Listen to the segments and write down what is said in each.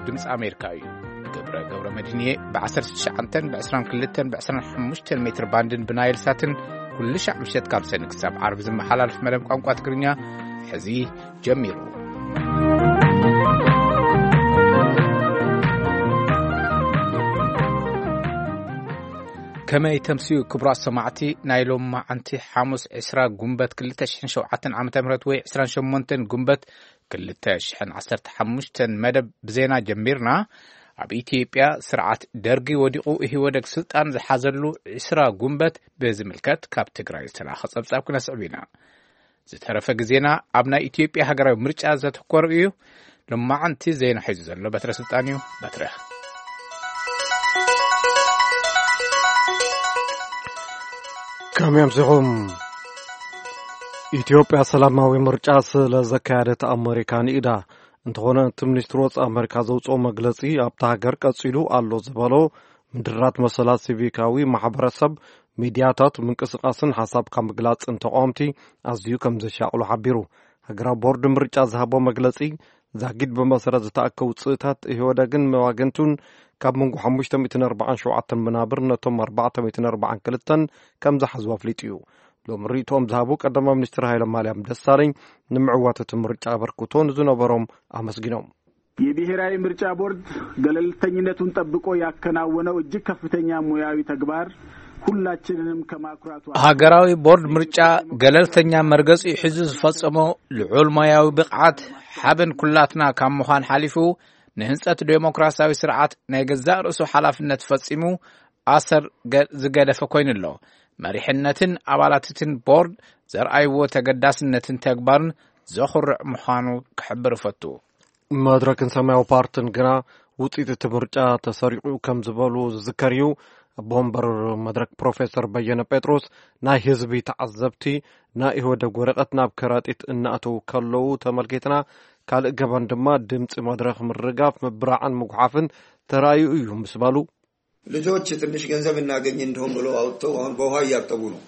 ድምፂ ኣሜሪካ እዩ። ገብረ ገብረ መድህንየ ብ19 ብ22 ብ25 ሜትር ባንድን ብናይል ሳትን ኩሉ ሻዕ ምሸት ካብ ሰኒ ክሳብ ዓርቢ ዝመሓላለፍ መደብ ቋንቋ ትግርኛ ሕዚ ጀሚሩ። ከመይ ተምስዩ ክቡራት ሰማዕቲ፣ ናይ ሎማዓንቲ ሓሙስ ዕስራ ጉንበት ክልተ ሽሕን ሸውዓተን ዓመተ ምህረት ወይ ዕስራን ሸሞንተን ጉንበት ክልተ ሽሕን ዓሰርተ ሓሙሽተን መደብ ብዜና ጀሚርና። ኣብ ኢትዮጵያ ስርዓት ደርጊ ወዲቑ ኢህወደግ ስልጣን ዝሓዘሉ ዕስራ ጉንበት ብዝምልከት ካብ ትግራይ ዝተላኸ ጸብጻብ ክነስዕብ ኢና። ዝተረፈ ግዜና ኣብ ናይ ኢትዮጵያ ሃገራዊ ምርጫ ዘተኮረ እዩ። ሎማዓንቲ ዜና ሒዙ ዘሎ በትረ ስልጣን እዩ። በትረ። ከመይ ኣምሲኹም? ኢትዮጵያ ሰላማዊ ምርጫ ስለ ዘካየደት ኣመሪካ ንኢዳ። እንተኾነ እቲ ሚኒስትሪ ወጻኢ ኣመሪካ ዘውፅኦ መግለጺ ኣብታ ሃገር ቀጺሉ ኣሎ ዝበሎ ምድራት መሰላት ሲቪካዊ ማሕበረሰብ፣ ሚድያታት፣ ምንቅስቃስን ሓሳብካ ምግላጽን ተቃወምቲ ኣዝዩ ከም ዘሻቕሎ ሓቢሩ። ሃገራዊ ቦርድ ምርጫ ዝሃቦ መግለጺ ዛጊድ ብመሰረት ዝተኣከቡ ውፅእታት ኢህወደግን መዋግንቱን ካብ መንጎ ሓሙሽተ ሚእትን ኣርባዓን ሸውዓተን መናብር ነቶም ኣርባዕተ ሚእትን ኣርባዓን ክልተን ከም ዝሓዝዎ ኣፍሊጡ እዩ። ሎም ርእይቶኦም ዝሃቡ ቀዳማይ ሚኒስትር ሃይለ ማርያም ደሳለኝ ንምዕዋት እቲ ምርጫ ኣበርክቶ ንዝነበሮም ኣመስጊኖም። የብሔራዊ ምርጫ ቦርድ ገለልተኝነቱን ጠብቆ ያከናወነው እጅግ ከፍተኛ ሙያዊ ተግባር ሁላችንንም ከማኩራቱ ሃገራዊ ቦርድ ምርጫ ገለልተኛ መርገጺ ሒዙ ዝፈጸሞ ልዑል ሞያዊ ብቕዓት ሓበን ኩላትና ካብ ምዃን ሓሊፉ ንህንጸት ዴሞክራሲያዊ ስርዓት ናይ ገዛእ ርእሱ ሓላፍነት ፈጺሙ ኣሰር ገ- ዝገደፈ ኮይኑ ኣሎ። መሪሕነትን ኣባላትትን ቦርድ ዘርኣይዎ ተገዳስነትን ተግባርን ዘኹርዕ ምዃኑ ክሕብር እፈቱ። መድረክን ሰማያዊ ፓርትን ግና ውፅኢት እቲ ምርጫ ተሰሪቑ ከም ዝበሉ ዝዝከር እዩ። ኣቦ ወንበር መድረክ ፕሮፌሰር በየነ ጴጥሮስ ናይ ህዝቢ ተዓዘብቲ ናይ ኢህወደግ ወረቐት ናብ ከረጢት እናእተዉ ከለዉ ተመልኪትና፣ ካልእ ገበን ድማ ድምፂ መድረክ ምርጋፍ፣ ምብራዕን ምጉሓፍን ተራእዩ እዩ ምስ በሉ፣ ልጆች ትንሽ ገንዘብ እናገኝ እንደሆን ብለው አውጥተው አሁን በውሃ እያጠቡ ነው።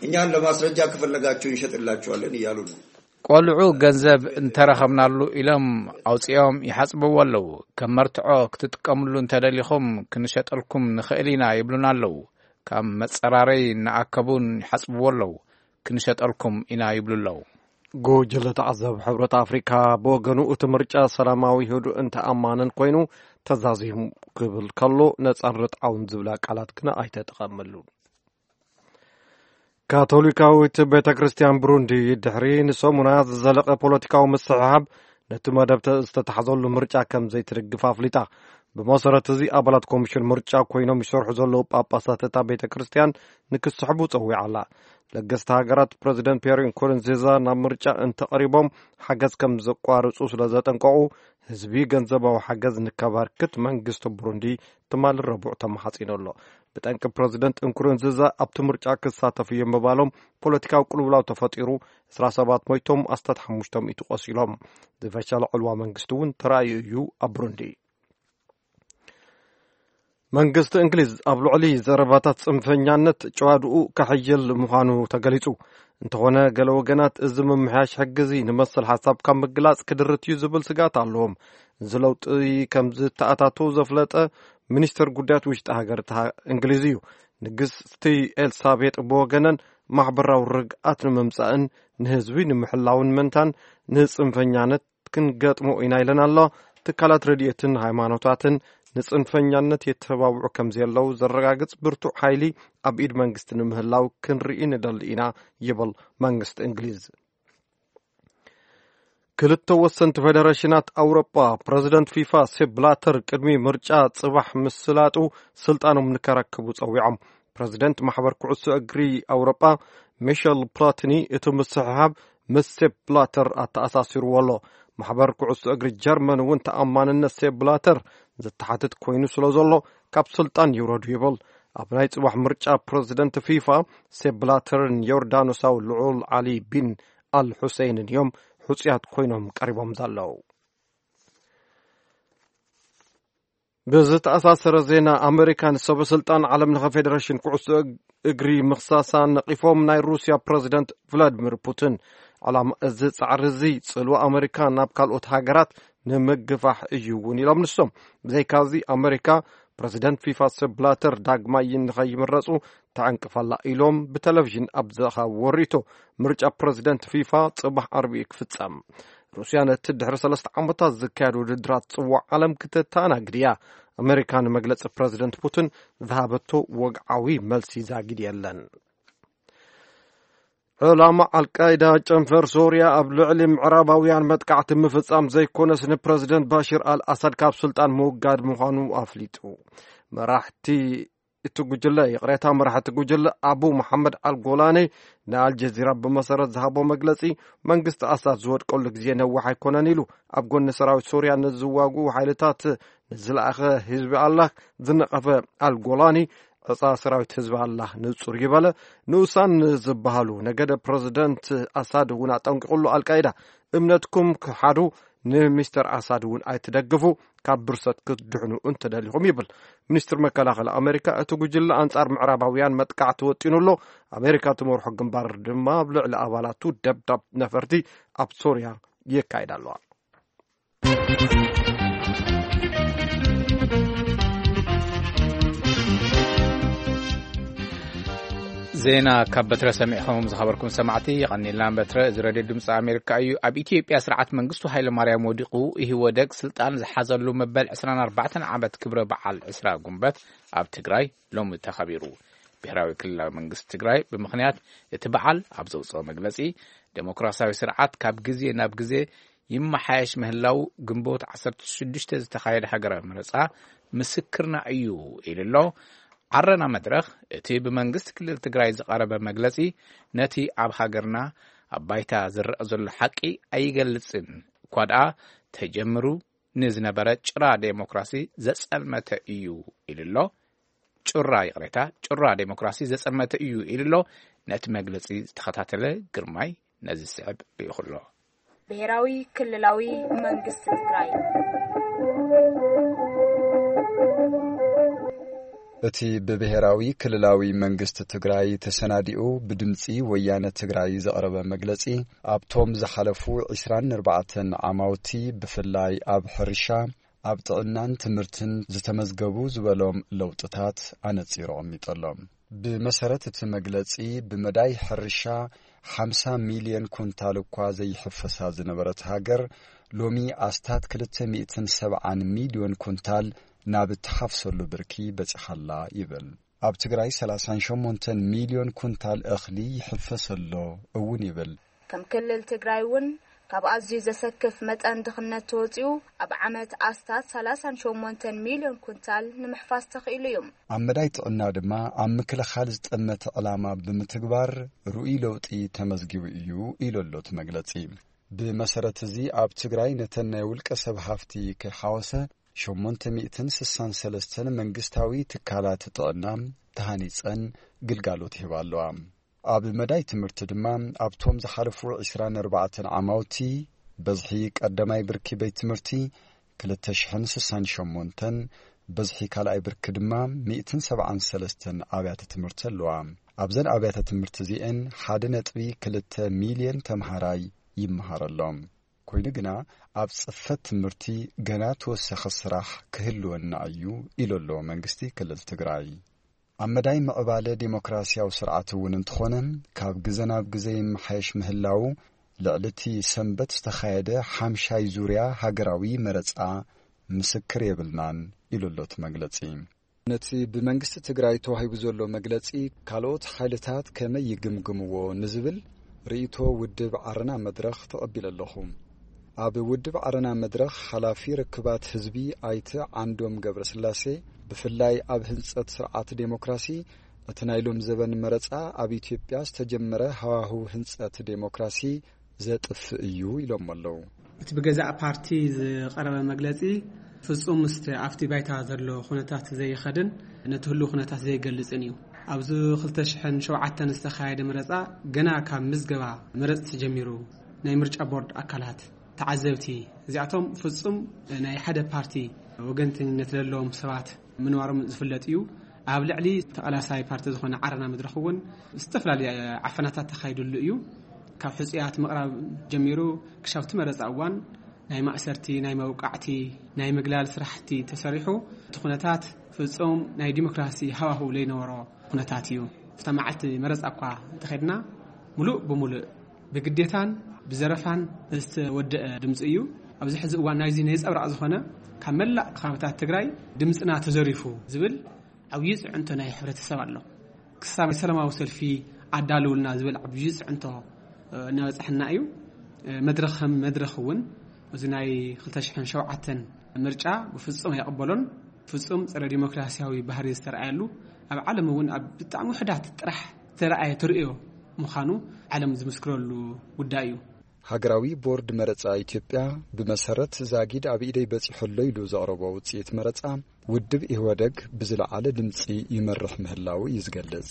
እኛን ለማስረጃ ከፈለጋችሁ እንሸጥላችኋለን እያሉ ነው። ቆልዑ ገንዘብ እንተረኸብናሉ ኢሎም ኣውፂኦም ይሓፅብዎ ኣለዉ። ከም መርትዖ ክትጥቀምሉ እንተደሊኹም ክንሸጠልኩም ንኽእል ኢና ይብሉና ኣለዉ። ካብ መፀራረይ እናኣከቡን ይሓፅብዎ ኣለዉ። ክንሸጠልኩም ኢና ይብሉ ኣለዉ። ጉጅለ ተዓዘብ ሕብረት ኣፍሪካ ብወገኑ እቲ ምርጫ ሰላማዊ፣ ህዱእን ተኣማንን ኮይኑ ተዛዚሙ ክብል ከሎ ነፃን ርትዓውን ዝብላ ቃላት ግና ኣይተጠቐመሉን። ካቶሊካዊት ቤተ ክርስቲያን ብሩንዲ ድሕሪ ንሰሙናት ዝዘለቐ ፖለቲካዊ ምስሕሓብ ነቲ መደብ ተ- ዝተታሕዘሉ ምርጫ ከም ዘይትድግፍ ኣፍሊጣ። ብመሰረት እዚ ኣባላት ኮሚሽን ምርጫ ኮይኖም ይሰርሑ ዘለዉ ጳጳሳት እታ ቤተ ክርስቲያን ንክስሕቡ ጸዊዓ ኣላ። ለገስቲ ሃገራት ፕረዚደንት ፒየር ንኩሩንዚዛ ናብ ምርጫ እንተቐሪቦም ሓገዝ ከም ዘቋርጹ ስለ ዘጠንቀቑ፣ ህዝቢ ገንዘባዊ ሓገዝ ንከበርክት መንግስቲ ብሩንዲ ትማሊ ረቡዕ ተማሓጺኑ ኣሎ። ብጠንቂ ፕረዚደንት እንኩሩንዚዛ ኣብቲ ምርጫ ክሳተፉ እዮም ምባሎም ፖለቲካዊ ቅልውላው ተፈጢሩ፣ ዕስራ ሰባት ሞይቶም፣ ኣስታት ሓሙሽተ ሚእቲ ቆሲሎም። ዝፈሸለ ዕልዋ መንግስቲ እውን ተራእዩ እዩ ኣብ ብሩንዲ። መንግስቲ እንግሊዝ ኣብ ልዕሊ ዘረባታት ጽንፈኛነት ጨዋድኡ ከሕይል ምዃኑ ተገሊጹ። እንተኾነ ገለ ወገናት እዚ ምምሕያሽ ሕጊ እዚ ንመሰል ሓሳብ ካብ ምግላጽ ክድርት እዩ ዝብል ስጋት ኣለዎም። እዚ ለውጢ ከም ዝተኣታቶ ዘፍለጠ ሚኒስተር ጉዳያት ውሽጢ ሃገር እታ እንግሊዝ እዩ። ንግስቲ ኤልሳቤጥ ብወገነን ማሕበራዊ ርግኣት ንምምጻእን ንህዝቢ ንምሕላውን መንታን ንጽንፈኛነት ክንገጥሞ ኢና ኢለን ኣሎ። ትካላት ረድኤትን ሃይማኖታትን ንጽንፈኛነት የተባብዑ ከም ዘለዉ ዘረጋግጽ ብርቱዕ ሓይሊ ኣብ ኢድ መንግስቲ ንምህላው ክንርኢ ንደሊ ኢና ይብል መንግስቲ እንግሊዝ። ክልተ ወሰንቲ ፌደሬሽናት ኣውሮጳ ፕረዚደንት ፊፋ ሴፕ ብላተር ቅድሚ ምርጫ ጽባሕ ምስላጡ ስልጣኖም ንከረክቡ ጸዊዖም። ፕረዚደንት ማሕበር ኩዕሶ እግሪ ኣውሮጳ ሚሸል ፕላቲኒ እቲ ምስሕሓብ ምስ ሴፕ ብላተር ኣተኣሳሲርዎ ኣሎ። ማሕበር ኩዕሶ እግሪ ጀርመን እውን ተኣማንነት ሴፕ ብላተር ዝተሓትት ኮይኑ ስለ ዘሎ ካብ ስልጣን ይውረዱ ይብል። ኣብ ናይ ጽባሕ ምርጫ ፕረዚደንት ፊፋ ሴፕ ብላተርን ዮርዳኖሳዊ ልዑል ዓሊ ቢን ኣል ሑሴይንን እዮም ሕጹያት ኮይኖም ቀሪቦም ዘለዉ። ብዝተኣሳሰረ ዜና ኣመሪካ ንሰበ ስልጣን ዓለም ለኸ ፌዴሬሽን ኩዕሶ እግ- እግሪ ምኽሳሳ ነቒፎም ናይ ሩስያ ፕረዚደንት ቭላድሚር ፑቲን። ዕላማ እዚ ጻዕሪ እዚ ጽልዋ ኣመሪካ ናብ ካልኦት ሃገራት ንምግፋሕ እዩ እውን ኢሎም ንሶም። ብዘይካዚ ኣመሪካ ፕረዚደንት ፊፋ ሰብ ብላተር ዳግማይ ንኸይምረፁ ተዕንቅፋላ ኢሎም ብቴሌቪዥን ኣብ ዘኻወሩ ርእይቶ። ምርጫ ፕረዚደንት ፊፋ ጽባሕ ዓርቢ እዩ ክፍጸም። ሩስያ ነቲ ድሕሪ ሰለስተ ዓመታት ዝካየድ ውድድራት ጽዋዕ ዓለም ክተተኣናግድ እያ። ኣመሪካ ንመግለጺ ፕረዚደንት ፑቲን ዝሃበቶ ወግዓዊ መልሲ ዛጊድ የለን። ዕላማ ኣልቃይዳ ጨንፈር ሶርያ ኣብ ልዕሊ ምዕራባውያን መጥቃዕቲ ምፍጻም ዘይኮነስ ንፕረዚደንት ባሽር ኣልኣሳድ ካብ ስልጣን ምውጋድ ምዃኑ ኣፍሊጡ። መራሕቲ እቲ ጉጅለ ይቕሬታ መራሕቲ ጉጅለ ኣቡ መሓመድ ኣልጎላኒ ንኣልጀዚራ ብመሰረት ዝሃቦ መግለጺ መንግስቲ ኣሳድ ዝወድቀሉ ግዜ ነዋሕ ኣይኮነን ኢሉ። ኣብ ጎኒ ሰራዊት ሶርያ ንዝዋግኡ ሓይልታት ንዝለኣኸ ህዝቢ ኣላህ ዝነቐፈ ኣልጎላኒ ዕፃ ሰራዊት ህዝቢ ኣላህ ንጹር ይበለ። ንኡሳን ዝበሃሉ ነገደ ፕረዚደንት ኣሳድ እውን ኣጠንቂቑሉ። ኣልቃይዳ እምነትኩም ክሓዱ ንሚስተር ኣሳድ እውን ኣይትደግፉ፣ ካብ ብርሰት ክትድሕኑ እንተደሊኹም ይብል። ሚኒስትር መከላኸሊ ኣሜሪካ እቲ ጉጅለ ኣንጻር ምዕራባውያን መጥቃዕቲ ወጢኑ ኣሎ። ኣሜሪካ ትመርሖ ግንባር ድማ ኣብ ልዕሊ ኣባላቱ ደብዳብ ነፈርቲ ኣብ ሶርያ የካይድ ኣለዋ። ዜና ካብ በትረ ሰሚዕኹም ዝኸበርኩም ሰማዕቲ የቐኒልና። በትረ እዚ ሬድዮ ድምፂ ኣሜሪካ እዩ። ኣብ ኢትዮጵያ ስርዓት መንግስቱ ሃይለ ማርያም ወዲቑ ኢህወደግ ስልጣን ዝሓዘሉ መበል ዕስራን ኣርባዕተን ዓመት ክብረ በዓል ዕስራ ጉንበት ኣብ ትግራይ ሎሚ ተኸቢሩ። ብሔራዊ ክልላዊ መንግስቲ ትግራይ ብምኽንያት እቲ በዓል ኣብ ዘውፅኦ መግለፂ፣ ዴሞክራሲያዊ ስርዓት ካብ ግዜ ናብ ግዜ ይመሓየሽ ምህላው ግንቦት ዓሰርተ ሽዱሽተ ዝተኻየደ ሃገራዊ መረፃ ምስክርና እዩ ኢሉ ኣሎ። ዓረና መድረኽ እቲ ብመንግስቲ ክልል ትግራይ ዝቐረበ መግለፂ ነቲ ኣብ ሃገርና ኣብ ባይታ ዝረኣ ዘሎ ሓቂ ኣይገልፅን፣ እኳ ደኣ ተጀምሩ ንዝነበረ ጭራ ዴሞክራሲ ዘፀልመተ እዩ ኢሉ ኣሎ። ጭራ፣ ይቕሬታ፣ ጭራ ዴሞክራሲ ዘፀልመተ እዩ ኢሉ ኣሎ። ነቲ መግለፂ ዝተኸታተለ ግርማይ ነዚ ዝስዕብ ልኢኹ ኣሎ። ብሔራዊ ክልላዊ መንግስቲ ትግራይ። እቲ ብብሔራዊ ክልላዊ መንግስቲ ትግራይ ተሰናዲኡ ብድምፂ ወያነ ትግራይ ዝቐረበ መግለፂ፣ ኣብቶም ዝሓለፉ ዕስራን ኣርባዕተን ዓማውቲ ብፍላይ ኣብ ሕርሻ፣ ኣብ ጥዕናን ትምህርትን ዝተመዝገቡ ዝበሎም ለውጥታት ኣነጺሩ ኣቐሚጡ ኣሎ። ብመሰረት እቲ መግለጺ፣ ብመዳይ ሕርሻ ሓምሳ ሚልዮን ኩንታል እኳ ዘይሕፈሳ ዝነበረት ሃገር፣ ሎሚ ኣስታት ክልተ ሚእትን ሰብዓን ሚልዮን ኩንታል ናብ እትሓፍሰሉ ብርኪ በጺሓ ኣላ ይብል። ኣብ ትግራይ ሰላሳን ሸሞንተን ሚልዮን ኩንታል እኽሊ ይሕፈስ ኣሎ እውን ይብል። ከም ክልል ትግራይ እውን ካብ ኣዝዩ ዘሰክፍ መጠን ድኽነት ተወፂኡ ኣብ ዓመት ኣስታት ሰላሳን ሸሞንተን ሚልዮን ኩንታል ንምሕፋስ ተኽኢሉ እዩ። ኣብ መዳይ ጥዕና ድማ ኣብ ምክልኻል ዝጠመተ ዕላማ ብምትግባር ርኡይ ለውጢ ተመዝጊቡ እዩ ኢሉ ኣሎ እቲ መግለፂ። ብመሰረት እዚ ኣብ ትግራይ ነተን ናይ ውልቀ ሰብ ሃፍቲ ከይሓወሰ ሸሞንተ ሚእትን ስሳን ሰለስተን መንግስታዊ ትካላት ጥዕና ተሃኒፀን ግልጋሎት ይህባ ኣለዋ። ኣብ መዳይ ትምህርቲ ድማ ኣብቶም ዝሓለፉ ዕስራን ኣርባዕተን ዓማውቲ በዝሒ ቀዳማይ ብርኪ ቤት ትምህርቲ ክልተ ሽሕን ስሳን ሸሞንተን፣ በዝሒ ካልኣይ ብርኪ ድማ ሚእትን ሰብዓን ሰለስተን ኣብያተ ትምህርቲ ኣለዋ። ኣብዘን ኣብያተ ትምህርቲ እዚኤን ሓደ ነጥቢ ክልተ ሚልዮን ተምሃራይ ይመሃር ኣሎ። ኮይኑ ግና ኣብ ጽፈት ትምህርቲ ገና ተወሳኺ ስራሕ ክህልወና እዩ ኢሉ ኣሎ መንግስቲ ክልል ትግራይ። ኣብ መዳይ ምዕባለ ዴሞክራሲያዊ ስርዓት እውን እንተኾነ፣ ካብ ግዘ ናብ ግዘ ይመሓየሽ ምህላው ልዕሊ እቲ ሰንበት ዝተኻየደ ሓምሻይ ዙርያ ሃገራዊ መረጻ ምስክር የብልናን ኢሉ ኣሎ እቲ መግለጺ። ነቲ ብመንግስቲ ትግራይ ተዋሂቡ ዘሎ መግለጺ ካልኦት ሓይልታት ከመይ ይግምግምዎ ንዝብል ርእይቶ ውድብ ዓረና መድረኽ ተቐቢለ ኣለኹ። ኣብ ውድብ ዓረና መድረኽ ሓላፊ ርክባት ህዝቢ ኣይተ ዓንዶም ገብረስላሴ፣ ብፍላይ ኣብ ህንጸት ስርዓት ዴሞክራሲ እቲ ናይ ሎም ዘበን መረጻ ኣብ ኢትዮጵያ ዝተጀመረ ሃዋህው ህንጸት ዴሞክራሲ ዘጥፍእ እዩ ኢሎም ኣለዉ። እቲ ብገዛእ ፓርቲ ዝቐረበ መግለጺ ፍጹም ምስቲ ኣብቲ ባይታ ዘሎ ኩነታት ዘይኸድን ነቲ ህሉው ኩነታት ዘይገልጽን እዩ። ኣብዚ ክልተ ሽሕን ሸውዓተን ዝተኻየደ መረጻ ገና ካብ ምዝገባ መረጽቲ ጀሚሩ ናይ ምርጫ ቦርድ ኣካላት፣ ተዓዘብቲ፣ እዚኣቶም ፍጹም ናይ ሓደ ፓርቲ ወገንተኝነት ዘለዎም ሰባት ምንባሮም ዝፍለጥ እዩ። ኣብ ልዕሊ ተቓላሳይ ፓርቲ ዝኾነ ዓረና መድረኽ እውን ዝተፈላለየ ዓፈናታት ተኻይድሉ እዩ። ካብ ሕጹያት ምቕራብ ጀሚሩ ክሻብ እቲ መረጻ እዋን ናይ ማእሰርቲ፣ ናይ መውቃዕቲ፣ ናይ ምግላል ስራሕቲ ተሰሪሑ፣ እቲ ኩነታት ፍጹም ናይ ዲሞክራሲ ሃዋህው ዘይነበሮ ኩነታት እዩ። ኣብታ መዓልቲ መረጻ እኳ እንተኸድና፣ ሙሉእ ብሙሉእ ብግዴታን ብዘረፋን ዝተወደአ ድምፂ እዩ። ኣብዚ ሕዚ እዋን ናይዚ ነፀብራቕ ዝኾነ፣ ካብ መላእ ከባብታት ትግራይ ድምፅና ተዘሪፉ ዝብል ዓብዪ ፅዕንቶ ናይ ሕብረተሰብ ኣሎ። ክሳብ ሰላማዊ ሰልፊ ኣዳልውልና ዝብል ዓብዪ ፅዕንቶ፣ እ፣ እናበፃሕና እዩ። እ፣ መድረኽ ከም መድረኽ እውን እዚ ናይ ክልተ ሽሕን ሸውዓተን ምርጫ ብፍጹም ኣይቕበሎን። ፍጹም ጸረ ዲሞክራሲያዊ ባህሪ ዝተረኣየሉ፣ ኣብ ዓለም እውን ኣብ ብጣዕሚ ውሕዳት ጥራሕ ዝተረኣየ ተርእዮ ምዃኑ ዓለም ዝምስክረሉ ጉዳይ እዩ። ሃገራዊ ቦርድ መረጻ ኢትዮጵያ ብመሰረት ዛጊድ ኣብ ኢደይ በጺሑ ኣሎ ኢሉ ዘቕረቦ ውጽኢት መረጻ፣ ውድብ ኢህወደግ ብዝለዓለ ድምጺ ይመርሕ ምህላዉ እዩ ዝገልጽ።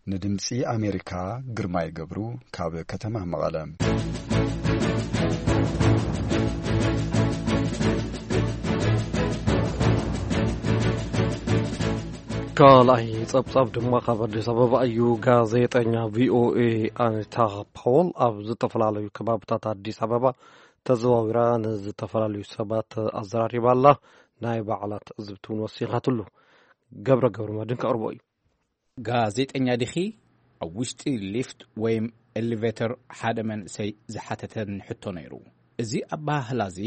ንድምጺ ኣሜሪካ ግርማይ ገብሩ ካብ ከተማ መቐለ። ካልኣይ ጸብጻብ ድማ ካብ ኣዲስ ኣበባ እዩ። ጋዜጠኛ ቪኦኤ ኣኒታ ፓውል ኣብ ዝተፈላለዩ ከባብታት ኣዲስ ኣበባ ተዘዋዊራ ንዝተፈላለዩ ሰባት ኣዘራሪባ ኣላ። ናይ ባዕላ ትዕዝብቲ እውን ወሲኻትሉ። ገብረ ገብረ መድን ከቕርቦ እዩ። ጋዜጠኛ ዲኺ? ኣብ ውሽጢ ሊፍት ወይም ኤሊቬተር ሓደ መንእሰይ ዝሓተተኒ ሕቶ ነይሩ። እዚ ኣበሃህላ እዚ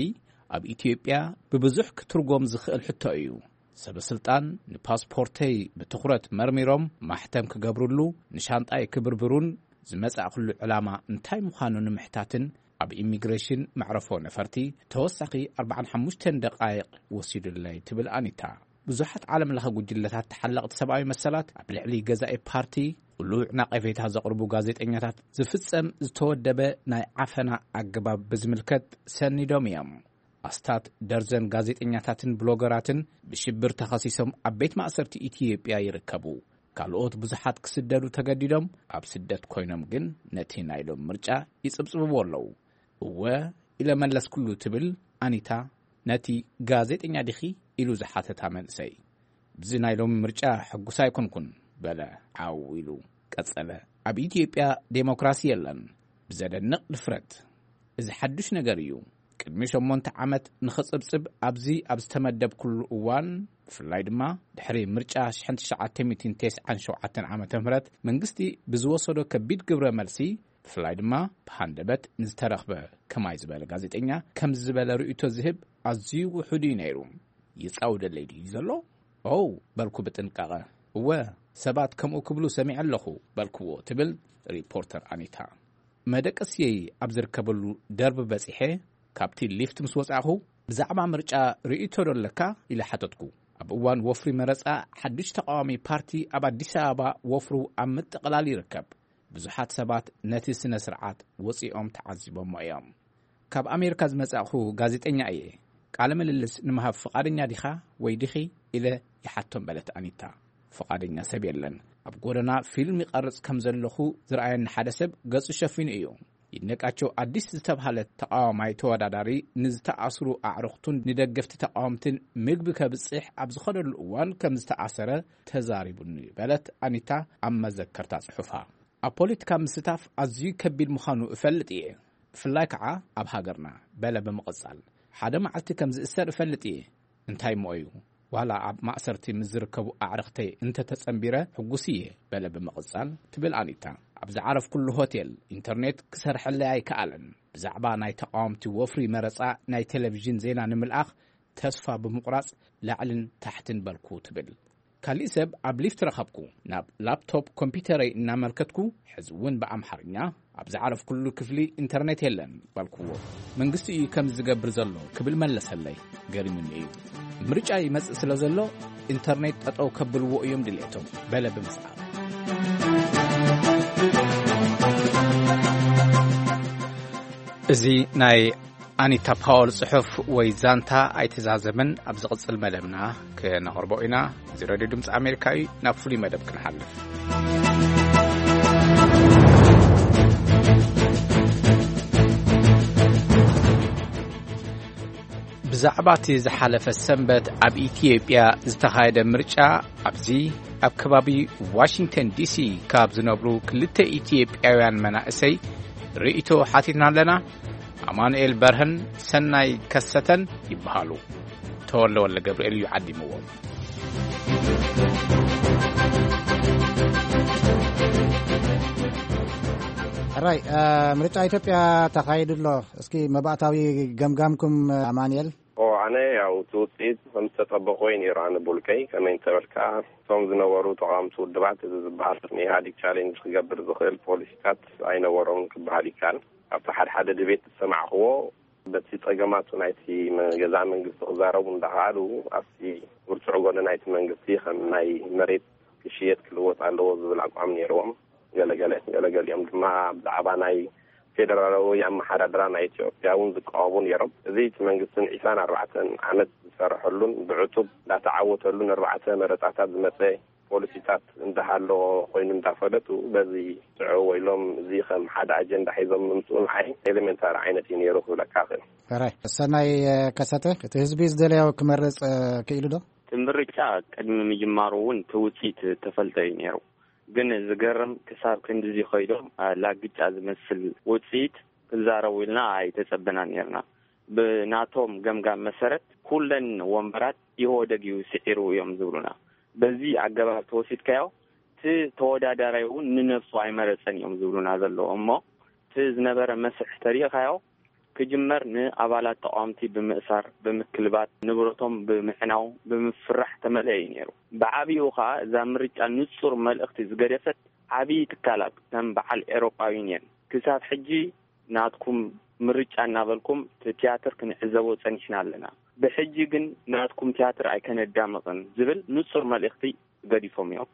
ኣብ ኢትዮጵያ ብብዙሕ ክትርጎም ዝኽእል ሕቶ እዩ። ሰበ ስልጣን ንፓስፖርተይ ብትኹረት መርሚሮም ማሕተም ክገብርሉ፣ ንሻንጣይ ክብርብሩን ዝመጻእኩሉ ዕላማ እንታይ ምዃኑ ንምሕታትን ኣብ ኢሚግሬሽን መዕረፎ ነፈርቲ ተወሳኺ ኣርባዓን ሓሙሽተን ደቓይቕ ወሲዱለይ ትብል ኣኒታ። ብዙሓት ዓለም ለኸ ጉጅለታት ተሓለቕቲ ሰብኣዊ መሰላት ኣብ ልዕሊ ገዛኢ ፓርቲ ቅሉዕ ናቐፌታ ዘቕርቡ ጋዜጠኛታት ዝፍጸም ዝተወደበ ናይ ዓፈና ኣገባብ ብዝምልከት ሰኒዶም እዮም። ኣስታት ደርዘን ጋዜጠኛታትን ብሎገራትን ብሽብር ተኸሲሶም ኣብ ቤት ማእሰርቲ ኢትዮጵያ ይርከቡ። ካልኦት ብዙሓት ክስደዱ ተገዲዶም ኣብ ስደት ኮይኖም ግን ነቲ ናይ ሎም ምርጫ ይጽብጽብዎ ኣለዉ። እወ ኢለ መለስኩሉ ትብል ኣኒታ ነቲ ጋዜጠኛ ዲኺ ኢሉ ዝሓተታ መንእሰይ። ብዚ ናይ ሎም ምርጫ ሕጉስ ኣይኮንኩን በለ ዓው ኢሉ ቀጸለ። ኣብ ኢትዮጵያ ዴሞክራሲ የለን። ብዘደንቕ ድፍረት። እዚ ሓዱሽ ነገር እዩ። ቅድሚ ሸሞንተ ዓመት ንኽጽብጽብ ኣብዚ ኣብ ዝተመደብኩሉ እዋን፣ ብፍላይ ድማ ድሕሪ ምርጫ ሽሕን ትሽዓተ ሚእትን ተስዓን ሸውዓተን ዓመተ ምህረት መንግስቲ ብዝወሰዶ ከቢድ ግብረ መልሲ፣ ብፍላይ ድማ ብሃንደበት ንዝተረኽበ ከማይ ዝበለ ጋዜጠኛ ከምዚ ዝበለ ርእይቶ ዝህብ ኣዝዩ ውሑድ እዩ ነይሩ። ይጻወደለይ ድዩ ዘሎ? ኦው በልኩ ብጥንቃቐ። እወ፣ ሰባት ከምኡ ክብሉ ሰሚዐ ኣለኹ በልክዎ ትብል ሪፖርተር ኣኒታ። መደቀስየይ ኣብ ዝርከበሉ ደርቢ በጺሐ፣ ካብቲ ሊፍት ምስ ወጻእኹ፣ "ብዛዕባ ምርጫ ርእይቶ ዶ ኣለካ?" ኢለ ሓተትኩ። ኣብ እዋን ወፍሪ መረጻ ሓድሽ ተቃዋሚ ፓርቲ ኣብ ኣዲስ ኣበባ ወፍሩ ኣብ ምጥቕላል ይርከብ። ብዙሓት ሰባት ነቲ ስነ ስርዓት ወጺኦም ተዓዚቦሞ እዮም። "ካብ ኣሜሪካ ዝመጻእኹ ጋዜጠኛ እየ። ቃለ ምልልስ ንምሃብ ፍቓደኛ ዲኻ ወይ ዲኺ?" ኢለ ይሓቶም በለት ኣኒታ። ፍቓደኛ ሰብ የለን። ኣብ ጎደና ፊልም ይቐርጽ ከም ዘለኹ ዝረኣየኒ ሓደ ሰብ ገጹ ሸፊኑ እዩ። ይድነቃቸው ኣዲስ ዝተብሃለ ተቃዋማይ ተወዳዳሪ ንዝተኣስሩ ኣዕሩኽቱን ንደገፍቲ ተቃወምትን ምግቢ ከብጽሕ ኣብ ዝኸደሉ እዋን ከም ዝተኣሰረ ተዛሪቡኒ በለት ኣኒታ ኣብ መዘከርታ ጽሑፋ። ኣብ ፖለቲካ ምስታፍ ኣዝዩ ከቢድ ምዃኑ እፈልጥ እየ፣ ብፍላይ ከዓ ኣብ ሃገርና በለ ብምቕጻል። ሓደ መዓልቲ ከም ዝእሰር እፈልጥ እየ። እንታይ እሞ እዩ? ዋላ ኣብ ማእሰርቲ ምስ ዝርከቡ ኣዕርኽተይ እንተተጸንቢረ ሕጉስ እየ በለ ብምቕጻል ትብል ኣኒታ። ኣብ ዝዓረፍኩሉ ሆቴል ኢንተርኔት ክሰርሐለይ ኣይከኣለን። ብዛዕባ ናይ ተቃወምቲ ወፍሪ መረጻ ናይ ቴሌቪዥን ዜና ንምልኣኽ ተስፋ ብምቑራጽ ላዕልን ታሕትን በልኩ ትብል። ካሊእ ሰብ ኣብ ሊፍት ረኸብኩ። ናብ ላፕቶፕ ኮምፒውተረይ እናመልከትኩ፣ "ሕዚ እውን ብኣምሓርኛ ኣብ ዝዓረፍኩሉ ክፍሊ ኢንተርኔት የለን" በልክዎ። "መንግስቲ እዩ ከምዚ ዝገብር ዘሎ" ክብል መለሰለይ። ገሪሙኒ እዩ። ምርጫ ይመጽእ ስለ ዘሎ ኢንተርኔት ጠጠው ከብልዎ እዮም ድሌቶም በለ ብምስዓብ። እዚ ናይ ኣኒታ ፓወል ጽሑፍ ወይ ዛንታ ኣይተዛዘመን። ኣብ ዝቕጽል መደብና ክነቕርቦ ኢና። እዚ ሬድዮ ድምጺ ኣሜሪካ እዩ። ናብ ፍሉይ መደብ ክንሓልፍ። ብዛዕባ እቲ ዝሓለፈ ሰንበት ኣብ ኢትዮጵያ ዝተኻየደ ምርጫ፣ ኣብዚ ኣብ ከባቢ ዋሽንግተን ዲሲ ካብ ዝነብሩ ክልተ ኢትዮጵያውያን መናእሰይ ርእይቶ ሓቲትና ኣለና። ኣማኑኤል በርሀን ሰናይ ከሰተን ይበሃሉ። ተወልደ ወልደ ገብርኤል እዩ ዓዲምዎም። ሕራይ፣ እ፣ ምርጫ ኢትዮጵያ ተኻይዱ ኣሎ። እስኪ መባእታዊ ገምጋምኩም፣ ኣማኑኤል? ኦ፣ ኣነ ያው እቲ ውፅኢት ከም ዝተጠበቆ እዩ ነይሩ። ኣነ ብውልቀይ ከመይ እንተበልካ፣ እቶም ዝነበሩ ተቓወምቲ ውድባት፣ እዚ ዝበሃል ንኢህኣዴግ ቻሌንጅ ክገብር ዝኽእል ፖሊሲታት ኣይነበሮም ክበሃል ይከኣል። ኣብቲ ሓደ ሓደ ድቤት ዝሰማዕክዎ፣ በቲ ጸገማቱ ናይቲ መ-፣ ገዛ መንግስቲ ክዛረቡ እንዳኸኣሉ፣ ኣብቲ ብርቱዕ ጎኒ ናይቲ መንግስቲ ከም ናይ መሬት ክሽየጥ ክልወጥ ኣለዎ ዝብል ኣቋም ነይርዎም። ገለገለ ገለገሊኦም ድማ ብዛዕባ ናይ ፌደራላዊ ኣመሓዳድራ ናይ ኢትዮጵያ እውን ዝቃወሙ ነይሮም። እዚ እቲ መንግስትን ዒስራን ኣርባዕተን ዓመት ዝሰርሐሉን ብዕቱብ እንዳተዓወተሉን ኣርባዕተ መረፃታት ዝመፀ ፖሊሲታት እንዳሃለዎ ኮይኑ እንዳፈለጡ፣ በዚ ስዑ ኢሎም እዚ ከም ሓደ ኣጀንዳ ሒዞም ምምፅኡ ንዓይ ኤሌሜንታሪ ዓይነት እዩ ነይሩ ክብለካ እኽእል። ሕራይ፣ ሰናይ ከሰተ፣ እቲ ህዝቢ ዝደለዮ ክመርፅ ክኢሉ ዶ? እቲ ምርጫ ቅድሚ ምጅማሩ እውን እቲ ውፅኢት ተፈልጠ እዩ ነይሩ። ግን ዝገርም፣ ክሳብ ክንድዚ ከይዶም፣ አ፣ ላግጫ ዝመስል ውፅኢት ክዛረቡ ኢልና ኣይተጸበናን ነርና። ብናቶም ገምጋም መሰረት፣ ኩለን ወንበራት ኢህወደግ እዩ ስዒሩ እዮም ዝብሉና። በዚ ኣገባብ ተወሲድካዮ፣ እቲ ተወዳዳራይ እውን ንነብሱ ኣይመረጸን እዮም ዝብሉና ዘለዉ። እሞ እቲ ዝነበረ መስርሕ ተሪእኻዮ፣ ክጅመር ንኣባላት ተቓወምቲ ብምእሳር፣ ብምክልባት፣ ንብረቶም ብምሕናው፣ ብምፍራሕ ተመልአ እዩ ነይሩ። ብዓቢኡ ኸኣ እዛ ምርጫ ንጹር መልእኽቲ ዝገደፈት፣ ዓቢ ትካላት ከም በዓል ኤውሮጳ ዩንየን፣ ክሳብ ሕጂ ናትኩም ምርጫ እናበልኩም እቲ ትያትር ክንዕዘቦ ጸኒሕና ኣለና። ብሕጂ ግን ናትኩም ትያትር ኣይከነዳምቕን ዝብል ንጹር መልእኽቲ ገዲፎም እዮም።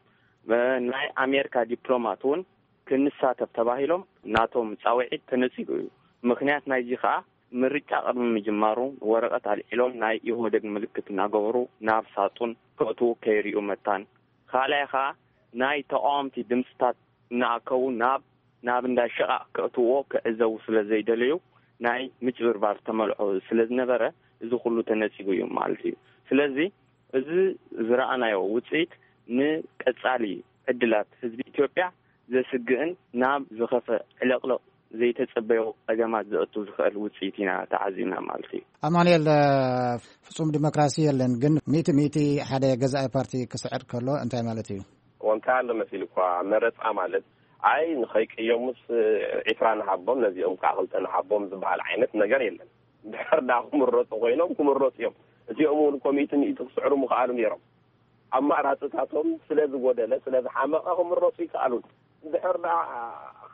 እ፣ ናይ ኣሜሪካ ዲፕሎማት እውን ክንሳተፍ ተባሂሎም ናቶም ጻውዒት ተነጺጉ እዩ። ምኽንያት ናይዚ ከኣ ምርጫ ቅድሚ ምጅማሩ ወረቐት ኣልዒሎም ናይ ኢህወደግ ምልክት እናገበሩ ናብ ሳጡን ከእትዉ ከይርእዩ መታን። ካልኣይ ከኣ ናይ ተቓወምቲ ድምፅታት እናኣከቡ ናብ፣ ናብ እንዳ ሸቓቕ ከእትውዎ ክዕዘቡ ስለ ዘይደለዩ ናይ ምጭብርባር ተመልዖ ስለ ዝነበረ እዚ ኩሉ ተነጺጉ እዩ ማለት እዩ። ስለዚ እዚ ዝረኣናዮ ውጽኢት ንቀጻሊ ዕድላት ህዝቢ ኢትዮጵያ ዘስግእን ናብ ዝኸፈ ዕለቕለቕ ዘይተጸበዮ ጸገማት ዘእቱ ዝኽእል ውጽኢት ኢና ተዓዚብና ማለት እዩ። ኣማኑኤል፣ ፍጹም ዲሞክራሲ የለን፣ ግን ሚእቲ ሚእቲ ሓደ ገዛኢ ፓርቲ ክስዕር ከሎ እንታይ ማለት እዩ? እንታይ ኣሎ መሲሉ እኳ መረጻ ማለት፣ ኣይ ንኸይቅየሙስ ዒስራ ንሃቦም፣ ነዚኦም ከዓ ክልተ ንሃቦም ዝበሃል ዓይነት ነገር የለን። ድሕር ዳ ክምረጹ ኮይኖም ክምረጹ እዮም። እዚኦም እውን እኮ ሚእቲ ሚእቲ ክስዕሩ ምኽኣሉ ነይሮም። ኣማራፅታቶም ስለ ዝጎደለ፣ ስለ ዝሓመቐ ክምረፁ ይከኣሉን። እንድሕር ደኣ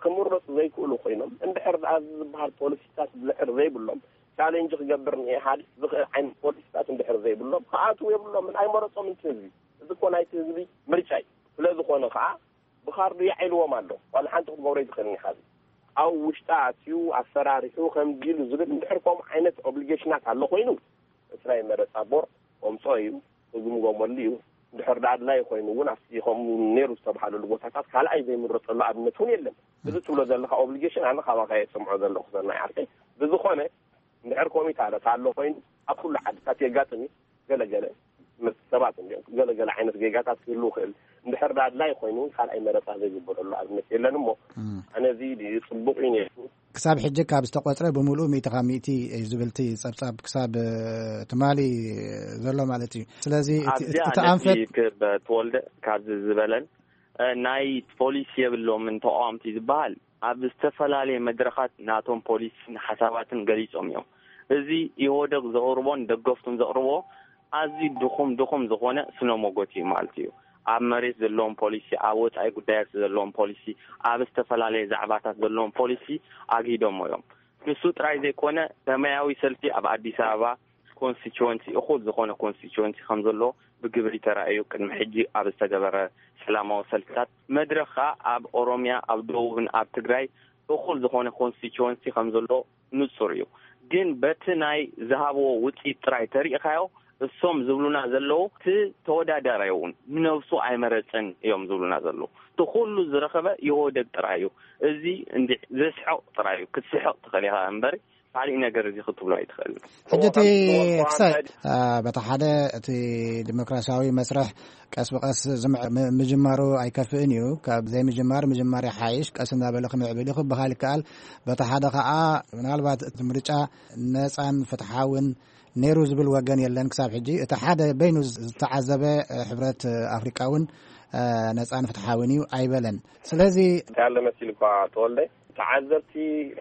ክምረፁ ዘይክእሉ ኮይኖም፣ እንድሕር ደኣ እዚ ዝበሃል ፖሊሲታት እንድሕር ዘይብሎም፣ ቻሌንጅ ክገብር ንኢህኣዴግ ዝኽእል ዓይነት ፖሊሲታት እንድሕር ዘይብሎም፣ ክኣትዉ የብሎምን፣ ኣይመረፆምን እቲ ህዝቢ። እዚ እኮ ናይቲ ህዝቢ ምርጫ እዩ። ስለ ዝኾነ ከዓ ብኻርዱ የዓይልዎም ኣሎ። ዋላ ሓንቲ ክትገብሮ ኣይትኽእልን ኢኻ። እዚ ኣብ ውሽጣ ኣትዩ ኣፈራሪሑ ከምዚ ኢሉ ዝብል እንድሕር ከምኡ ዓይነት ኦብሊጌሽናት ኣሎ ኮይኑ፣ እቲ ናይ መረፃ ቦርድ ከምፅኦ እዩ። ክግምገመሉ እዩ። እንድሕር ደኣ ኣድላዪ ኮይኑ እውን ኣብቲ ከምኡ ነይሩ ዝተባሃለሉ ቦታታት ካልኣይ ዘይምረፀሉ ኣብነት እውን የለን። እዚ ትብሎ ዘለኻ ኦብሊጌሽን ኣነ ካባኻ እየ ዝሰምዖ ዘለኹ ሰናይ ዓርከይ። ብዝኾነ እንድሕር ኮሚታለት ኣሎ ኮይኑ ኣብ ኩሉ ዓድታት የጋጥም እዩ። ገለገለ ምስ ሰባት እንዲኦም ገለገለ ዓይነት ጌጋታት ክህልው ይኽእል። እንድሕር ደኣ ኣድላዪ ኮይኑ እውን ካልኣይ መረፃ ዘይግበረሉ ኣብነት የለን እሞ እም። ኣነ እዚ ጽቡቕ እዩ ነይሩ። ክሳብ ሕጂ ካብ ዝተቖጽረ ብምሉኡ ሚእቲ ካብ ሚእቲ እዩ ዝብል እቲ ጸብጻብ ክሳብ፣ እ፣ ትማሊ ዘሎ ማለት እዩ። ስለዚ እቲ፣ ኣብዚኣ እቲ ነጥቢ ኣንፈት ክብ ተወልደ ካብዚ ዝበለን፣ እ፣ ናይ ፖሊሲ የብሎምን ተቃወምቲ ዝበሃል ኣብ ዝተፈላለየ መድረኻት ናቶም ፖሊሲን ሓሳባትን ገሊጾም እዮም። እዚ ኢህወደግ ዘቕርቦን ደገፍቱን ዘቕርቦ ኣዝዩ ድኹም ድኹም ዝኾነ ስነ ሞጎት እዩ ማለት እዩ። ኣብ መሬት ዘለዎም ፖሊሲ፣ ኣብ ወጻኢ ጉዳያት ዘለዎም ፖሊሲ፣ ኣብ ዝተፈላለየ ዛዕባታት ዘለዎም ፖሊሲ ኣግሂዶሞ እዮም። ንሱ ጥራይ ዘይኮነ፣ ሰማያዊ ሰልፊ ኣብ ኣዲስ ኣበባ ኮንስቲትወንሲ፣ እኹል ዝኾነ ኮንስቲትወንሲ ከም ዘሎ ብግብሪ ተራእዩ። ቅድሚ ሕጂ ኣብ ዝተገበረ ሰላማዊ ሰልፍታት፣ መድረኽ ከኣ ኣብ ኦሮምያ፣ ኣብ ደቡብን ኣብ ትግራይ እኹል ዝኾነ ኮንስቲትወንሲ ከም ዘሎ ንጹር እዩ። ግን በቲ ናይ ዝሃብዎ ውጽኢት ጥራይ ተሪእኻዮ፣ እሶም ዝብሉና ዘለዉ፣ እቲ ተወዳዳራይ እውን ንነብሱ ኣይመረጽን እዮም ዝብሉና ዘለዉ። እቲ ኩሉ ዝረኸበ ኢህወደግ ጥራይ እዩ። እዚ እንዲ ዘስሕቕ ጥራይ እዩ። ክትስሕቕ ትኽእል ኢኻ እምበሪ፣ ካሊእ ነገር እዚ ክትብሎ ኣይትኽእልን። ሕጂ እቲ እሞ፣ ክሳይ፣ እ፣ በቲ ሓደ እቲ ዲሞክራሲያዊ መስርሕ ቀስ ብቐስ ዝምዕ-፣ ም-፣ ምጅማሩ ኣይከፍእን እዩ። ካብ ዘይምጅማር ምጅማር ይሓይሽ፣ ቀስ እናበለ ክምዕብል እዩ ክበሃል ይከኣል። በቲ ሓደ ኸኣ ምናልባት እቲ ምርጫ ነጻን ፍትሓውን ነይሩ ዝብል ወገን የለን ክሳብ ሕጂ። እቲ ሓደ በይኑ ዝተዓዘበ፣ እ፣ ሕብረት ኣፍሪቃ እውን፣ እ፣ ነጻን ፍትሓውን እዩ ኣይበለን። ስለዚ ያለ መሲል እኳ ተወልደ ተዓዘብቲ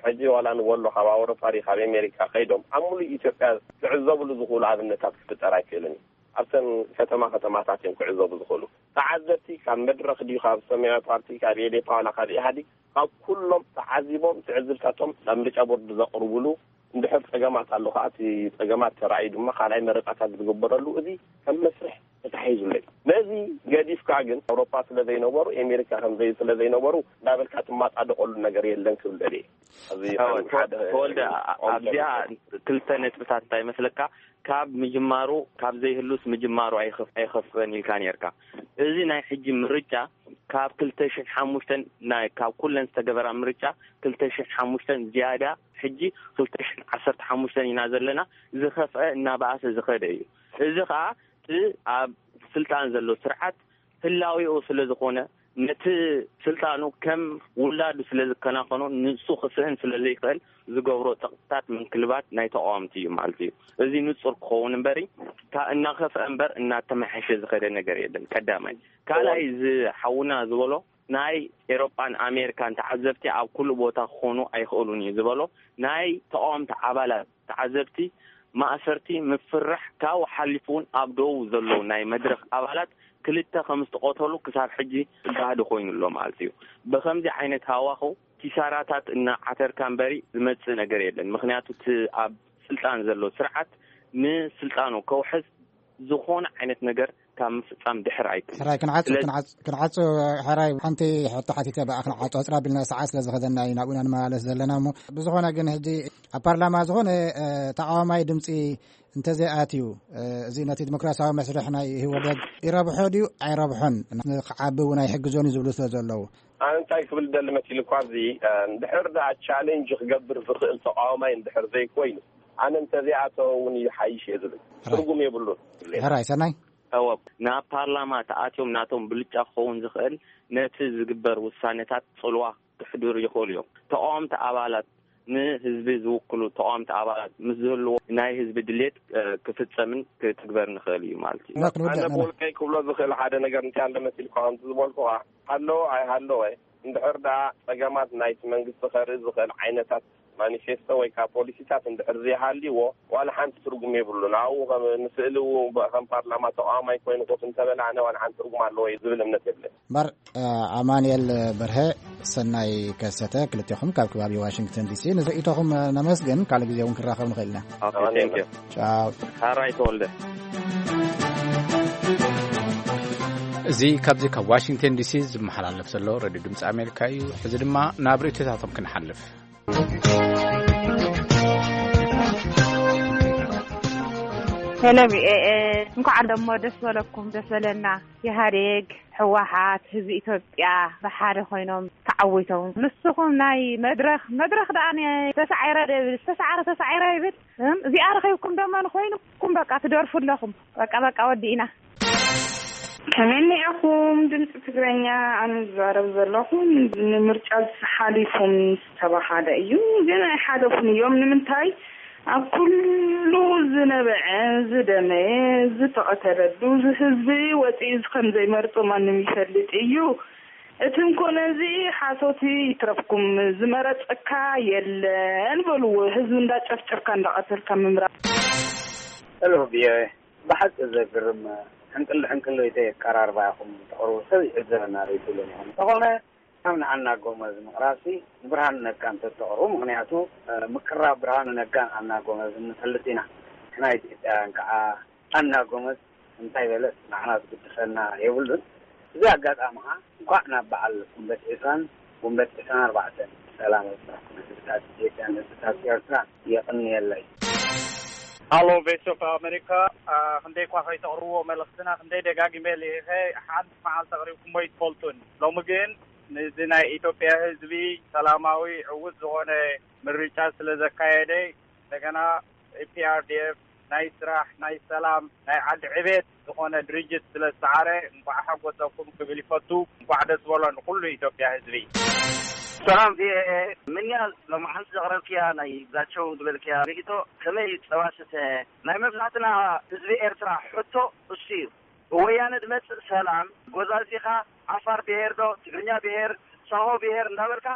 ሕጂ ዋላ ንበሎ ካብ ኣውሮፓ ድዩ ካብ ኣሜሪካ ከይዶም ኣብ ሙሉእ ኢትዮጵያ ክዕዘብሉ ዝኽእሉ ኣብነታት ክፍጠር ኣይክእልን እዩ። ኣብተን ከተማ ከተማታት እዮም ክዕዘቡ ዝኽእሉ። ተዓዘብቲ ካብ መድረኽ ድዩ ካብ ሰማያዊ ፓርቲ ካብ ኤዴፓ ዋላ ካብ ኢህኣዴግ ካብ ኩሎም ተዓዚቦም ትዕዝብታቶም ናብ ምርጫ ቦርድ ዘቕርቡሉ እንድሕር ጸገማት ኣሎ ከዓ እቲ ጸገማት ተራእዩ ድማ ካልኣይ መረፃታት ዝግበረሉ እዚ ከም መስርሕ ተታሒዙለይ። ነዚ ገዲፍካ ግን ኣውሮፓ ስለ ዘይነበሩ ኣሜሪካ ከምዘይ ስለ ዘይነበሩ እንዳበልካ ትማጣደቀሉ ነገር የለን ክብል ደልየ። ኣብዚ እወ፣ ሓደ ተወልደ፣ አ-፣ ኣብዚኣ ክልተ ነጥብታት እንታይ ይመስለካ? ካብ ምጅማሩ፣ ካብ ዘይህሉስ ምጅማሩ ኣይኸፍ-፣ ኣይኸፍእን ኢልካ ነርካ። እዚ ናይ ሕጂ ምርጫ ካብ ክልተ ሽሕን ሓሙሽተን ናይ፣ ካብ ኩለን ዝተገበራ ምርጫ ክልተ ሽሕን ሓሙሽተን ዝያዳ፣ ሕጂ ክልተ ሽሕን ዓሰርተ ሓሙሽተን ኢና ዘለና፣ ዝኸፍአ እናበኣሰ ዝኸደ እዩ። እዚ ኸኣ እቲ ኣብ ስልጣን ዘሎ ስርዓት ህላዌኡ ስለ ዝኾነ፣ ነቲ ስልጣኑ ከም ውላዱ ስለ ዝከናኸኖ፣ ንሱ ክስእን ስለ ዘይክእል ዝገብሮ ጸቕጥታት ምንክልባት ናይ ተቃወምቲ እዩ ማለት እዩ። እዚ ንጹር ክኸውን እምበሪ፣ ካ-፣ እናኸፍአ እምበር እናተመሓሸ ዝኸደ ነገር የለን። ቀዳማይ። ካልኣይ፣ እዚ ሓውና ዝበሎ ናይ ኤሮጳን ኣሜሪካን ተዓዘብቲ ኣብ ኩሉ ቦታ ክኾኑ ኣይኽእሉን እዩ ዝበሎ፣ ናይ ተቃወምቲ ኣባላት ተዓዘብቲ ማእሰርቲ፣ ምፍራሕ ካብኡ ሓሊፉ እውን ኣብ ደቡብ ዘለዉ ናይ መድረኽ ኣባላት ክልተ ከም ዝተቐተሉ ክሳብ ሕጂ ጋህዲ ኮይኑ ኣሎ ማለት እዩ። ብኸምዚ ዓይነት ሃዋኽው ኪሳራታት እናዓተርካ እምበሪ ዝመጽእ ነገር የለን። ምኽንያቱ እቲ ኣብ ስልጣን ዘሎ ስርዓት ንስልጣኑ ከውሕስ ዝኾነ ዓይነት ነገር ካብ ምፍጻም ድሕር ኣይብል። ሕራይ ክንዓጽ-፣ ስለዚ ክንዓጽ-፣ ክንዓጽ-፣ ሕራይ ሓንቲ ሕቶ ሓቲተ ብኣ ክንዓጽ-፣ ኣጽር ኣቢልና ሰዓት ስለ ዝኸደና እዩ ናብኡ ኢና ንመላለስ ዘለና። እሞ ብዝኾነ ግን ሕጂ ኣብ ፓርላማ ዝኾነ፣ እ፣ ተቃዋማይ ድምጺ እንተዘይኣትዩ፣ እ፣ እዚ ነቲ ዲሞክራሲያዊ መስርሕ ናይ ህወደግ ይረብሖ ድዩ ኣይረብሖን፣ ንክዓቢ እውን ኣይሕግዞን እዩ ዝብሉ ስለ ዘለዉ። ኣነ እንታይ ክብል ደሊ መሲሉ እኳ ኣብዚ፣ እ፣ እንድሕር ደኣ ቻሌንጅ ክገብር ዝኽእል ተቃዋማይ እንድሕር ዘይኮይኑ፣ ኣነ እንተዘይኣተወ እውን ይሓይሽ እየ ዝብል። ሕራይ። ትርጉም የብሉን። ሕራይ ሰናይ። እወ፣ ናብ ፓርላማ ተኣትዮም ናቶም ብልጫ ክኸውን ዝኽእል ነቲ ዝግበር ውሳነታት ጽልዋ ክሕድሩ ይኽእሉ እዮም። ተቃወምቲ ኣባላት ንህዝቢ ዝውክሉ ተቃወምቲ ኣባላት ምስ ዝህልዎ ናይ ህዝቢ ድሌት፣ እ፣ ክፍጸምን ክትግበር ንኽእል እዩ ማለት እዩ። እዛ ክንውድእ ኣነ ኣለና። ብውልቀይ ክብሎ ዝኽእል ሓደ ነገር እንታይ ኣሎ መሲልካ ከምቲ ዝበልኩኻ፣ ሃለወ ኣይሃለወ፣ እንድሕር ደኣ ጸገማት ናይቲ መንግስቲ ከርኢ ዝኽእል ዓይነታት ማኒፌስቶ ወይ ከዓ ፖሊሲታት እንድሕር ዘይሃልይዎ፣ ዋላ ሓንቲ ትርጉም የብሉን። ኣብኡ ከም ንስእሊ እውን ብ-፣ ከም ፓርላማ ተቃዋማይ ኮይኑ ኮፍ እንተበለ፣ ኣነ ዋላ ሓንቲ ትርጉም ኣለዎ እዩ ዝብል እምነት የብለይ። እምበር፣ እ፣ ኣማኑኤል በርሀ፣ ሰናይ ከሰተ፣ ክልቴኹም ካብ ከባቢ ዋሽንግተን ዲሲ ንርእይቶኹም ነመስግን። ካልእ ግዜ እውን ክንራኸብ ንኽእል ኢና። ኦኬ፣ ኣማኑኤል። Thank you። ቻው። ሓራይ ተወልደ። እዚ ካብዚ ካብ ዋሽንግተን ዲሲ ዝመሓላለፍ ዘሎ ሬድዮ ድምፂ ኣሜሪካ እዩ። ሕዚ ድማ ናብ ርእይቶታቶም ክንሓልፍ። ሄሎ፣ ቪ ኦ ኤ፣ እንኳዕ ደሞ ደስ በለኩም፣ ደስ በለና። ኢህኣዴግ፣ ህወሓት፣ ህዝቢ ኢትዮጵያ ብሓደ ኮይኖም ተዓዊቶም። ንስኹም ናይ መድረኽ፣ መድረኽ ደኣ ነ-፣ ተሳዒረ ዶ ይብል፣ ዝተሳዕረ ተሳዒረ ይብል። እም፣ እዚኣ ረኺብኩም ደሞ ንኮይኑኩም በቃ ትደርፉ ኣለኹም። በቃ፣ በቃ፣ ወዲእና። ከመይ እኒኣኹም ድምፂ ትግረኛ? ኣነ ዝዛረብ ዘለኹ ንምርጫ ሓሊፎም ዝተባሃለ እዩ፣ ግን ኣይሓለፉን እዮም። ንምንታይ? ኣብ ኩሉ ዝነበዐ፣ ዝደመየ፣ ዝተቐተለሉ፣ እዚ ህዝቢ ወፂኡ ከም ዘይመርጦ ማንም ይፈልጥ እዩ። እቲ እንኮነ እዚ ሓሶት ይትረፍኩም፣ ዝመረፀካ የለን በልዎ። ህዝቢ እንዳጨፍጨፍካ እንዳቐተልካ ምምራፅ። ሄሎ፣ ቪ ኦ ኤ። ብሓቂ ዘግርም ሕንቅል ሕንቅል ወይ ኣቀራርባ ኢኹም ተቕርቡ፣ ሰብ ይዕዘበና ዶ ኣይትብሉን ኢኹም። እንተኾነ ካብ ንዓና ጎመዝ ምቕራብሲ ንብርሃኑ ነጋ እንተተቕርቡ፣ ምኽንያቱ፣ እ፣ ምቅራብ ብርሃኑ ነጋን ኣና ጎመዝን ንፈልጥ ኢና። ንሕና ኢትዮጵያውያን ከዓ ኣና ጎመዝ እንታይ በለስ ንዓና ዝግድሰና የብሉን። እዚ ኣጋጣሚ ከዓ እንኳዕ ናብ በዓል ጉንበት ዒስራን ጉንበት ዒስራን ኣርባዕተን ብሰላም ኣብፅሐኩም ህዝብታት ኢትዮጵያን ህዝብታት ኤርትራን። የቕንየለይ። ሃሎ ቮይስ ኦፍ ኣሜሪካ፣ አ፣ ክንደይ እኳ ከይተቕርብዎ መልእኽትና ክንደይ ደጋጊመ ልኢኸ፣ ሓንቲ መዓልቲ ኣቕሪብኩሞ ኣይትፈልጡን። ሎሚ ግን ንዚ ናይ ኢትዮጵያ ህዝቢ ሰላማዊ ዕዉት ዝኾነ ምርጫ ስለ ዘካየደ፣ እንደገና ፒኣርዲኤፍ ናይ ስራሕ፣ ናይ ሰላም፣ ናይ ዓዲ ዕቤት ዝኾነ ድርጅት ስለ ዝሰዓረ፣ እንኳዕ ሓጎሰኩም ክብል ይፈቱ። እንኳዕ ደስ በሎ ንኩሉ ኢትዮጵያ ህዝቢ። ሰላም ቪኦኤ፣ ምንያ ሎማዓንቲ ዘቕረብክያ ናይ ግዛቸው ዝበልክያ ርእይቶ ከመይ እዩ? ጸባ ስተ ናይ መብዛሕትና ህዝቢ ኤርትራ ሕቶ እሱ እዩ። ብወያነ ዝመጽእ ሰላም ጎዛዚኻ ዓፋር ብሄር ዶ ትግርኛ ብሄር ሳሆ ብሄር እንዳበልካ፣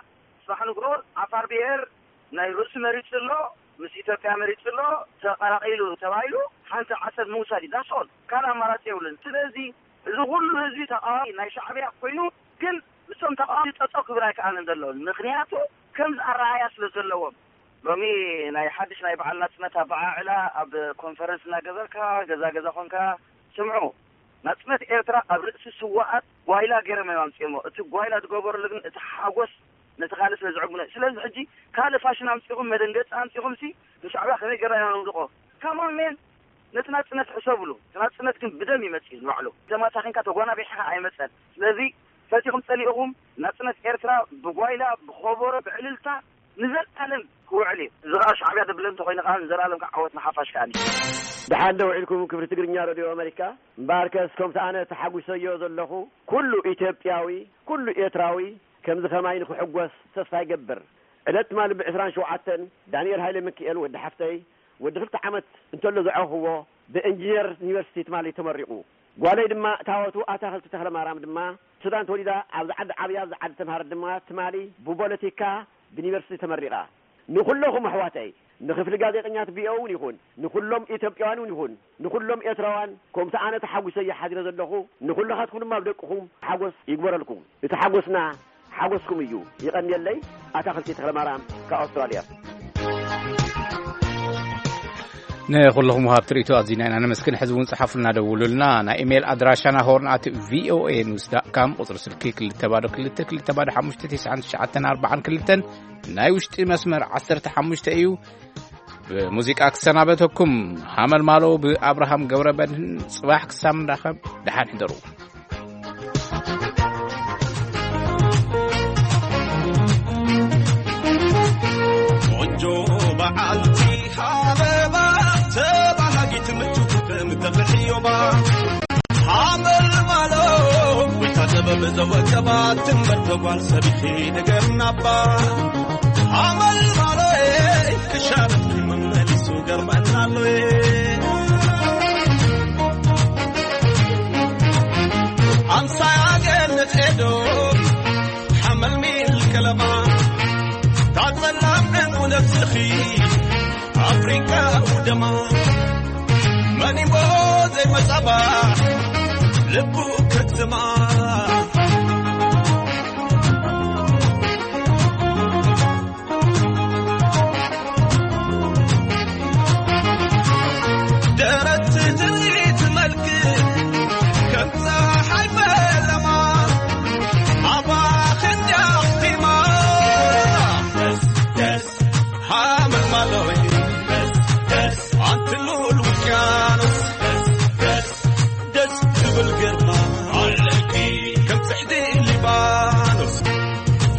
ጽባሕ ንግሆ ዓፋር ብሄር ናይ ርእሱ መሪጹ ኣሎ፣ ምስ ኢትዮጵያ መሪጹ ኣሎ፣ ተቐላቒሉ ተባሂሉ ሓንቲ ዓሰብ ምውሳድ እዩ። ዳስኦል ካልእ ኣማራጺ የብሉን። ስለዚ እዚ ኩሉ ህዝቢ ተቓዋሚ ናይ ሻዕብያ ኮይኑ ግን ምስቶም ተቓዋሚ ጠጠው ክብል ኣይከኣልን ዘሎ። ምኽንያቱ ከምዚ ኣረኣያ ስለ ዘለዎም። ሎሚ ናይ ሓድሽ ናይ በዓል ናጽነት ኣበዓዕላ ኣብ ኮንፈረንስ እናገበርካ ገዛ ገዛ ኮንካ ስምዑ። ናጽነት ኤርትራ ኣብ ርእሲ ስዋኣት ጓይላ ገይሮም እዮም ኣምጺኦሞ። እቲ ጓይላ ዝገበሩሉ ግን እቲ ሓጎስ ነቲ ካልእ ስለ ዝዕግብኖ። ስለዚ ሕጂ ካልእ ፋሽን ኣምጺኹም መደንገጺ ኣምጺኹም ሲ ንሻዕብያ ከመይ ገይርና ኢና ነውድቖ? ካሞን ሜን ነቲ ናጽነት ሕሰብሉ። እቲ ናጽነት ግን ብደም ይመጽእ እዩ ንባዕሉ። ተማሳኺንካ ተጓናቢሕኻ ኣይመጸን። ስለዚ ፈቲኹም ጸሊእኹም ናጽነት ኤርትራ ብጓይላ ብኸበሮ ብዕልልታ ንዘልኣለም ክውዕል እዩ። እዚ ኸኣ ሻዕብያ ደብለ እንተኾይኑ ኸኣ ንዘልኣለም ከዓ ዓወት ንሓፋሽ ከኣ። ደሓን ዶ ውዒልኩም ክብሪ ትግርኛ ሬድዮ ኣመሪካ? እምበኣርከስ ከምቲ ኣነ ተሓጒሰዮ ዘለኹ ኩሉ ኢትዮጵያዊ፣ ኩሉ ኤርትራዊ ከምዚ ኸማይ ንኽሕጎስ ተስፋ ይገብር። ዕለት ትማሊ ብዕስራን ሸውዓተን ዳንኤል ሃይለ ሚካኤል ወዲ ሓፍተይ ወዲ ክልተ ዓመት እንተሎ ዝዓኹዎ ብእንጂነር ዩኒቨርሲቲ ትማሊ ተመሪቑ። ጓለይ ድማ እታወቱ ኣታኽልቲ ተኽለማርያም ድማ ሱዳን ተወሊዳ ኣብዚ ዓዲ ዓብያ ኣብዚ ዓዲ ተምሃረት ድማ ትማሊ ብፖለቲካ ብዩኒቨርሲቲ ተመሪቓ። ንኹለኹም ኣሕዋተይ ንክፍሊ ጋዜጠኛት ቪኦኤ እውን ይኹን ንኹሎም ኢትዮጵያውያን እውን ይኹን ንኹሎም ኤርትራውያን ከምቲ ኣነ ተሓጒሰ እየ ሓዲረ ዘለኹ ንኹልኻትኩም ድማ ኣብ ደቅኹም ሓጎስ ይግበረልኩም። እቲ ሓጎስና ሓጎስኩም እዩ። ይቐንየለይ። ኣታኽልቲ ተኽለማርያም ካብ ኣውስትራልያ። ንኹልኹም ወሃብቲ ርእይቶ ኣዚና ኢና ነመስግን። ሕዚ እውን ጽሓፉልና፣ ደውሉልና። ናይ ኢሜይል ኣድራሻና ሆርን ኣት ቪኦኤ ኒውስ ዳት ካም፣ ቁጽሪ ስልኪ ክልተ ባዶ ክልተ ክልተ ባዶ ሓሙሽተ ትሽዓን ትሽዓተን ኣርባዓን ክልተን፣ ናይ ውሽጢ መስመር ዓሰርተ ሓሙሽተ እዩ። ብሙዚቃ ክሰናበተኩም፣ ሃመልማሎ ብኣብርሃም ገብረ መድህን። ጽባሕ ክሳብ ንራኸብ ደሓን ሕደሩ። ቆንጆ በዓልቲ ኣበባ ተባሃጊት ምትኩት ምተኽሕዮባ ሓመልማሎ ወይታ ጥበብ ዘወቀባ ትንበር ተጓል ሰቢኺ ንገርናባ ሓመልማሎ ክሻረትኪ መመሊሱ ገርመናሎ ኣምሳያ ገነት ኤዶ ሓመልሚል ከለማ ታጸላም ዕንቁ ነብስኺ ኣፍሪቃ ውደማ መኒሞ ዘይመጻባ ልቡ ከትማ ደረት ትርኢት መልክ ከም ፀሓይ ፈለማ ኣባ ክንዲ ኣኽቲማ ደስ ደስ ሓመልማሎይ ደስ ደስ ኣንቲ ልኡል ውቅያኖስ ደስ ደስ ደስ ትብል ግርማ ኣለኪ ከም ጽሕዲ ሊባኖስ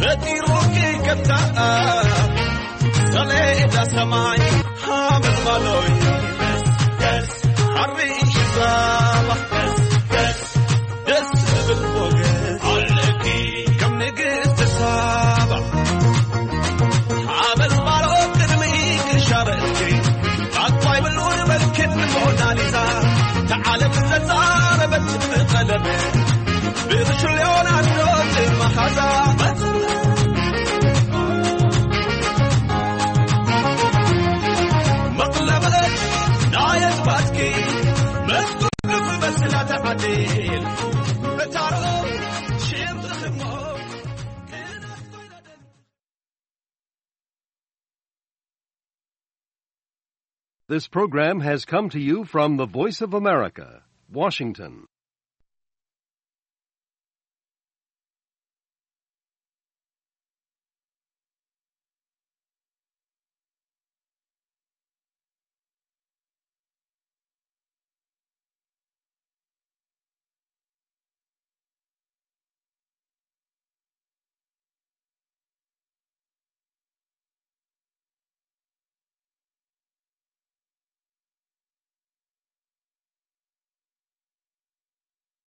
ፈጢሩኪ ከም ታኣ ሰሌዳ ሰማይ ሓመልማሎይ ደስ ደስ ሓሪ ዛባ ደስ ደስ ደስ ዝብል ሞገስ ኣለኪ ከም ንግስቲ ሳባ ሓመልማሎ ቅድሚ ክሻበልኪ ኣኳይ ብሉን በልክን ሞናሊዛ ተዓለም ዘዛረበት ብቐለም ብርሹ ሊዮናርዶ መሓዛ መቕለበት ናይ ኣዝባትኪ መስጉ በስላ ተዓዲል በታሮ ሽም ዝኽሞ This program has come to you from the Voice of America, Washington.